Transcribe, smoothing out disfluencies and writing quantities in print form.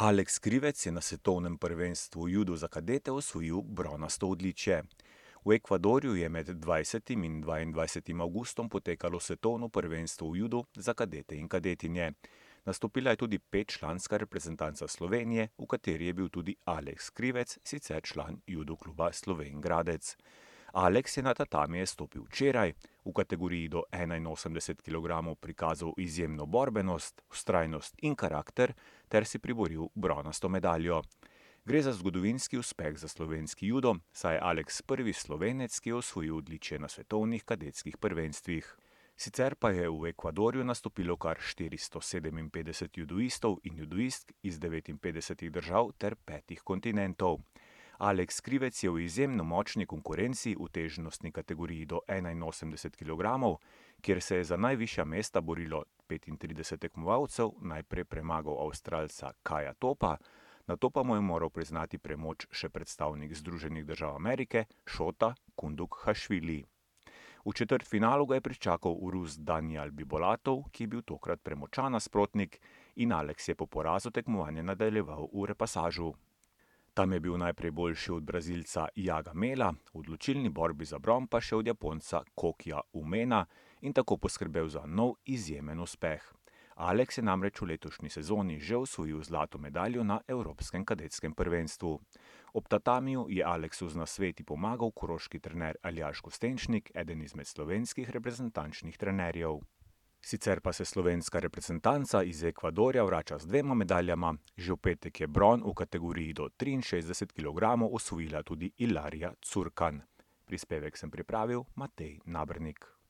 Aleks Krivec je na svetovnem prvenstvu v judu za kadete osvojil bronasto odličje. V Ekvadorju je med 20. in 22. avgustom potekalo svetovno prvenstvo v judu za kadete in kadetinje. Nastopila je tudi petčlanska reprezentanca Slovenije, v kateri je bil tudi Aleks Krivec, sicer član judo kluba Slovenj Gradec. Aleks je na tatamije stopil včeraj, v kategoriji do 81 kg prikazal izjemno borbenost, vztrajnost in karakter ter si priboril bronasto medaljo. Gre za zgodovinski uspeh za slovenski judo, saj je Aleks prvi Slovenec, ki je osvojil odličje na svetovnih kadetskih prvenstvih. Sicer pa je v Ekvadorju nastopilo kar 457 judoistov in judoistk iz 59 držav ter 5 kontinentov. Aleks Krivec je v izjemno močni konkurenci v težnostni kategoriji do 81 kg, kjer se je za najvišja mesta borilo 35 tekmovalcev, najprej premagal Avstralca Kaja Topa, nato pa mu je moral priznati premoč še predstavnik Združenih držav Amerike Šota Kundukhašvili. V četrtfinalu ga je pričakal Rus Danijal Bibolatov, ki je bil tokrat premočan nasprotnik, in Aleks je po porazu tekmovanje nadaljeval v repasažu. Tam je bil najprej boljši od Brazilca Jaga Mela, v odločilni borbi za bron pa še od Japonca Kokija Umena in tako poskrbel za nov izjemen uspeh. Aleks je namreč v letošnji sezoni že osvojil zlato medaljo na Evropskem kadetskem prvenstvu. Ob tatamiju je Aleksu z nasveti pomagal koroški trener Aljaž Kostenčnik, eden izmed slovenskih reprezentančnih trenerjev. Sicer pa se slovenska reprezentanca iz Ekvadorja vrača z 2 medaljama, že v petek je bron v kategoriji do 63 kg osvojila tudi Ilarija Curkan. Prispevek sem pripravil Matej Nabernik.